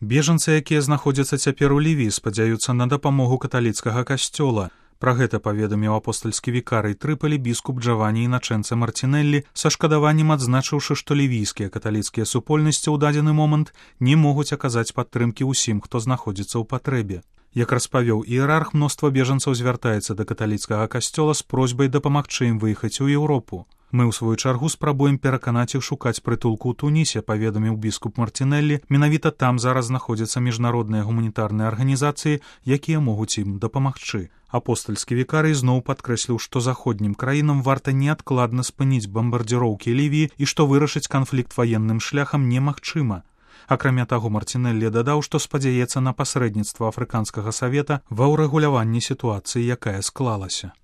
Бежанцы, якія знаходзяцца цяпер у Лівіі, спадзяюцца на дапамогу каталіцкага касцёла. Пра гэта паведаміў апостальскі вікарый Трыполі біскуп Джавані Іначэнце Мартинеллі, са шкадаваннем адзначыўшы, што лівійскія каталіцкія супольнасці ў дадзены момант не могуць аказаць падтрымкі ўсім, хто знаходзіцца ў патрэбе. Як распавёў іерарх, мноства бежанцаў звяртаецца да каталіцкага касцёла з просьбай дапамагчы ім выехаць у Еўропу. Мы, ў сваю чаргу, спрабуем пераканаць іх шукаць прытулку ў Тунісе, паведаміў біскуп Мартинеллі. Менавіта там зараз знаходзяцца міжнародныя гуманітарныя арганізацыі, якія могуць ім дапамагчы. Апостальскі вікарый зноў падкрэсліў, што заходнім краінам варта неадкладна спыніць бамбардзіроўкі Лівіі і што вырашыць канфлікт ваенным шляхам немагчыма. Акрамя таго, Мартинеллі дадаў, што спадзяецца на пасрэдніцтва Афрыканскага савета ва ўрэгуляванні сітуацыі, якая склалася.